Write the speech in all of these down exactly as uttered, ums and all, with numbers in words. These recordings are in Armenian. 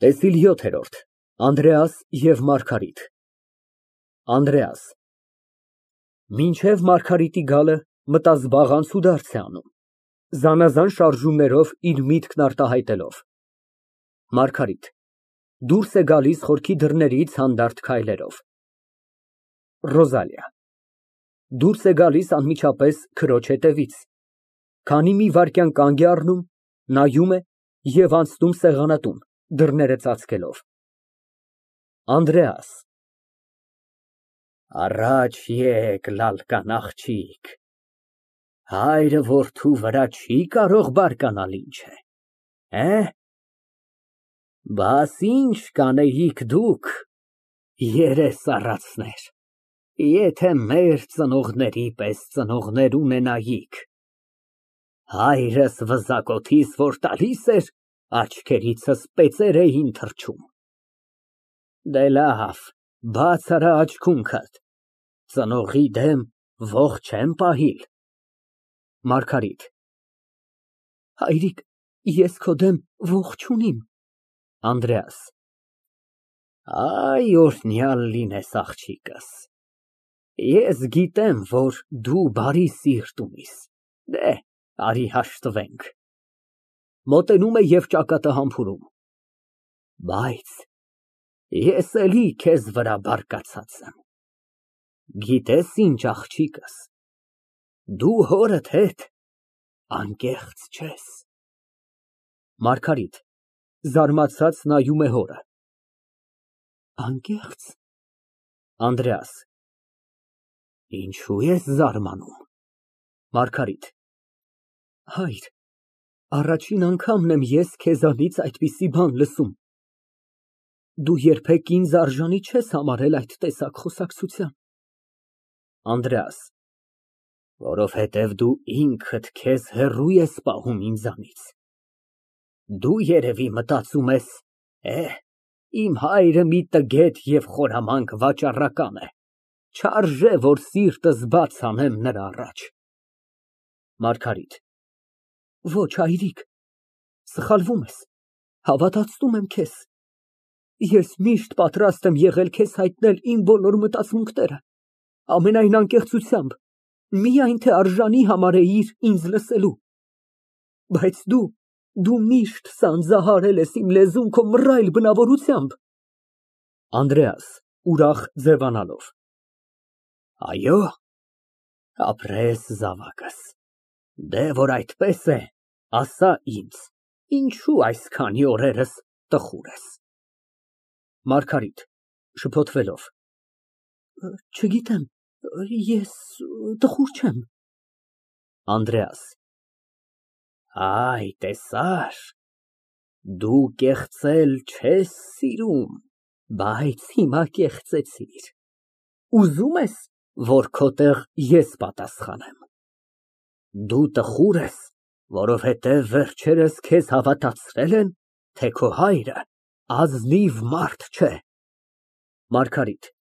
ՏԵՍԻԼ ՅՈԹԵՐՈՐԴ ԱՆԴՐԵԱՍ ԵՎ ՄԱՐԳԱՐԻՏ ԱՆԴՐԵԱՍ ֊ Մինչև Մարգարիտի գալը մտազբաղ անցուդարձ է անում, զանազան շարժումներով իր միտքն արտահայտելով։ ՄԱՐԳԱՐԻՏ ֊ (Դուրս է գալիս խորքի դռներից հանդարտ քայլերով)։ ՌՈԶԱԼԻԱ ֊ (Դուրս է գալիս անմիջապես քրոջ հետևից, քանի մի վայրկյան կանգ է առնում, նայում է և անցնում սեղանատուն, դռները ծածկելով)։ ԱՆԴՐԵԱՍ ֊ Առաջ եկ, լալկան աղջիկ, հայրը որդու վրա չի կարող բարկանալ, ինչ է, էհ։ Բաս ինչ կանեիք դուք, երես առածներ, եթե մեր ծնողների պես ծնողներ ունենայիք։ Հայրս վզակոթիս որ տալիս էր, աչքերիցս պեծեր էին թռչում։ Դե լավ, բաց արա աչքունքդ, ծնողի դեմ ոխ չեմ պահիլ։ ՄԱՐԳԱՐԻՏ ֊ Հայրիկ, ես քո դեմ ոխ չունիմ։ ԱՆԴՐԵԱՍ ֊ Այ օրհնյալ լինես, աղջիկս, ես գիտեմ, որ դու բարի սիրտ ունիս, դե, արի հաշտվենք։ (Մոտենում է և ճակատը համբուրում) Բայց ես էլի քեզ վրա բարկացած եմ։ Գիտես ինչ, աղջիկս, դու հորդ հետ անկեղծ չես։ ՄԱՐԳԱՐԻՏ ֊ (Զարմացած նայում է հորը) Անկեղծ։ ԱՆԴՐԵԱՍ ֊ Ինչո՞ւ ես զարմանում։ ՄԱՐԳԱՐԻՏ ֊ Հայր, առաջին անգամն եմ ես քեզանից այդպիսի բան լսում։ Դու երբեք ինձ արժանի չես համարել այդ տեսակ խոսակցության։ ԱՆԴՐԵԱՍ ֊ Որովհետև դու ինքդ քեզ հեռու ես պահում ինձանից։ Դու երևի մտածում ես, էհ, իմ հայրը մի տգետ և խորամանկ վաճառական է, չարժե, որ սիրտս բաց անեմ նրա առաջ։ ՄԱՐԳԱՐԻՏ ֊ Ոչ, հայրիկ, սխալվում ես, հավատացնում եմ քեզ։ Ես միշտ պատրաստ եմ եղել քեզ հայտնել իմ բոլոր մտածմունքները, ամենայն անկեղծությամբ, միայն թե արժանի համարեիր ինձ լսելու։ Բայց դու, դու միշտ սանձահարել ես իմ լեզուն քո մռայլ բնավորությամբ։ ԱՆԴՐԵԱՍ ֊ (Ուրախ ձևանալով) Այո՞, ապրես, զավակս, դե որ այդպես է, ասա ինձ, ինչո՞ւ այսքանի օրերս տխուր ես։ ՄԱՐԳԱՐԻՏ ֊ (Շփոթվելով) Չգիտեմ, ես տխուր չեմ։ ԱՆԴՐԵԱՍ ֊ Այ, տեսա՞ր, դու կեղծել չես սիրում, բայց հիմա կեղծեցիր։ Ուզո՞ւմ ես, որ քո տեղ ես պատասխանեմ։ Դու տխուր ես, որովհետև վերջերս քեզ հավատացրել են, թե քո հայրը ազնիվ մարդ չէ։ ՄԱՐԳԱՐԻՏ ֊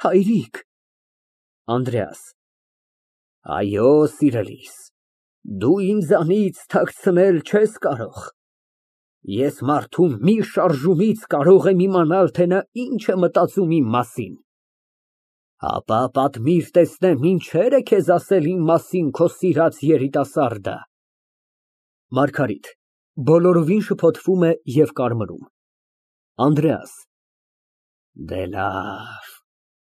Հայրիկ։ ԱՆԴՐԵԱՍ ֊ Այո, սիրելիս, դու ինձանից թաքցնել չես կարող։ Ես մարդու մի շարժումից կարող եմ իմանալ, թե նա ինչ է մտածում իմ մասին։ Հապա պատմիր, տեսնեմ, ինչեր է քեզ ասել իմ մասին քո սիրած երիտասարդը։ ՄԱՐԳԱՐԻՏ ֊ (Բոլորովին շփոթվում է և կարմրում) Անդրեաս ֊ Դե լավ,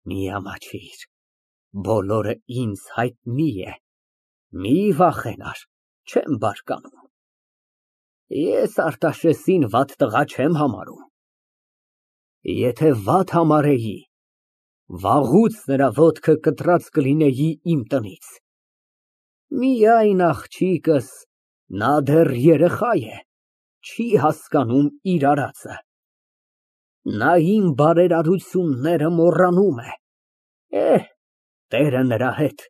մի ամաչիր, բոլորը ինձ հայտնի է, մի վախենար, չեմ բարկանում։ Ես Արտաշեսին վատ տղա չեմ համարում։ Եթե վատ համարեի, վաղուց նրա ոտքը կտրած կլինեի իմ տնից։ Միայն աղջիկս, նա դեռ երեխա է, չի հասկանում իր արածը։ Նա իմ բարերարությունները մոռանում է։ Էհ, տերը նրա հետ,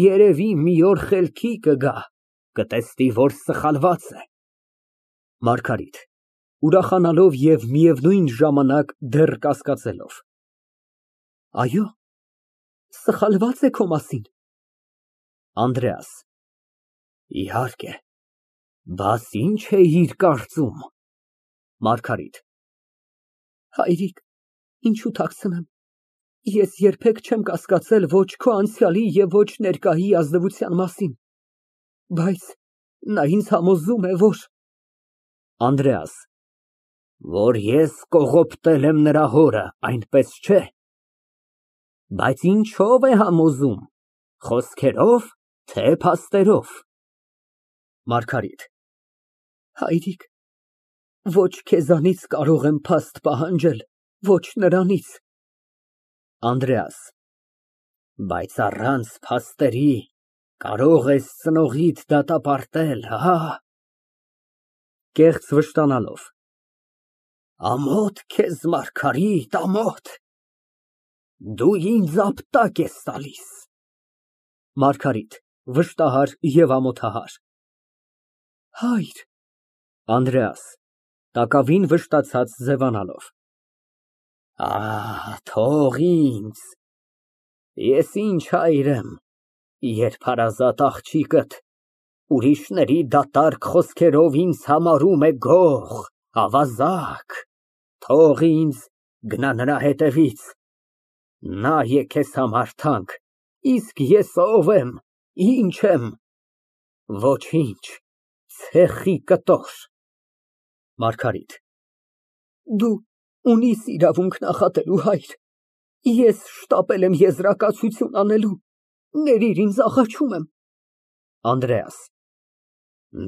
երևի մի օր խելքի կգա, կտեսնի, որ սխալված է։ ՄԱՐԳԱՐԻՏ ֊ (Ուրախանալով և միևնույն ժամանակ դեռ կասկածելով) Այո՞, սխալվա՞ծ է քո մասին։ ԱՆԴՐԵԱՍ ֊ Իհարկե, բաս ի՞նչ էիր կարծում։ ՄԱՐԳԱՐԻՏ ֊ Հայրիկ, ինչու թաքցնեմ, ես երբեք չեմ կասկածել ոչ քո անցյալի և ոչ ներկայի ազնվության մասին, բայց նա ինձ համոզում է, որ… ԱՆԴՐԵԱՍ ֊ Որ ես կողոպտել եմ նրա հորը, այնպես չէ՞։ Բայց ինչո՞վ է համոզում, խոսքերո՞վ, թե փաստերով։ ՄԱՐԳԱՐԻՏ ֊ Հայրիկ, ոչ քեզանից կարող եմ փաստ պահանջել, ոչ նրանից… ԱՆԴՐԵԱՍ ֊ Բայց առանց փաստերի կարող ես ծնողիդ դատապարտել, հա՞։ (Կեղծ վշտանալով) Ամոթ քեզ, Մարգարիտ, ամոթ, դու ինձ ապտակ ես տալիս։ ՄԱՐԳԱՐԻՏ ֊ (Վշտահար և ամոթահար) Հայր… ԱՆԴՐԵԱՍ ֊ (Տակավին վշտացած ձևանալով) Ահ, թող ինձ, ես ինչ հայր եմ, երբ հարազատ աղջիկդ ուրիշների դատարկ խոսքերով ինձ համարում է գող, ավազակ, թող ինձ, գնա նրա հետևից, նա է քեզ համար թանկ, իսկ ես ո՞վ եմ, ի՞նչ եմ, ոչինչ, ցեխի կտոր… ՄԱՐԳԱՐԻՏ ֊ Դու ունիս իրավունք նախատելու, հայր, ես շտապել եմ եզրակացություն անելու, ներիր ինձ, աղաչում եմ… ԱՆԴՐԵԱՍ ֊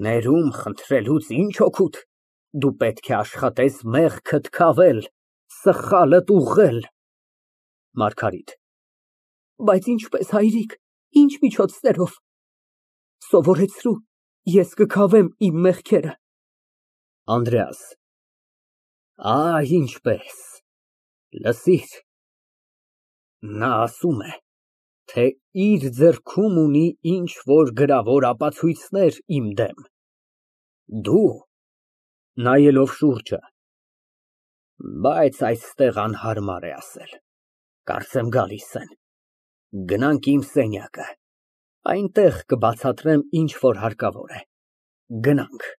Ներում խնդրելուց ի՞նչ օգուտ, դու պետք է աշխատես մեղքդ քավել, սխալդ ուղղել… ՄԱՐԳԱՐԻՏ ֊ Բայց ինչպես, հայրիկ, ինչ միջոցներով… Սովորեցրու, ես կքավեմ իմ մեղքերը… ԱՆԴՐԵԱՍ ֊ Այ ինչպես, լսիր, նա ասում է, թե իր ձեռքում ունի ինչ֊որ գրավոր ապացույցներ իմ դեմ, դու… (Նայելով շուրջը) Բայց այստեղ անհարմար է ասել, կարծեմ գալիս են, գնանք իմ սենյակը, այնտեղ կբացատրեմ, ինչ որ հարկավոր է, գնանք…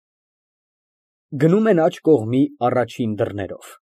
(Գնում են աջ կողմի առաջին դռներով)։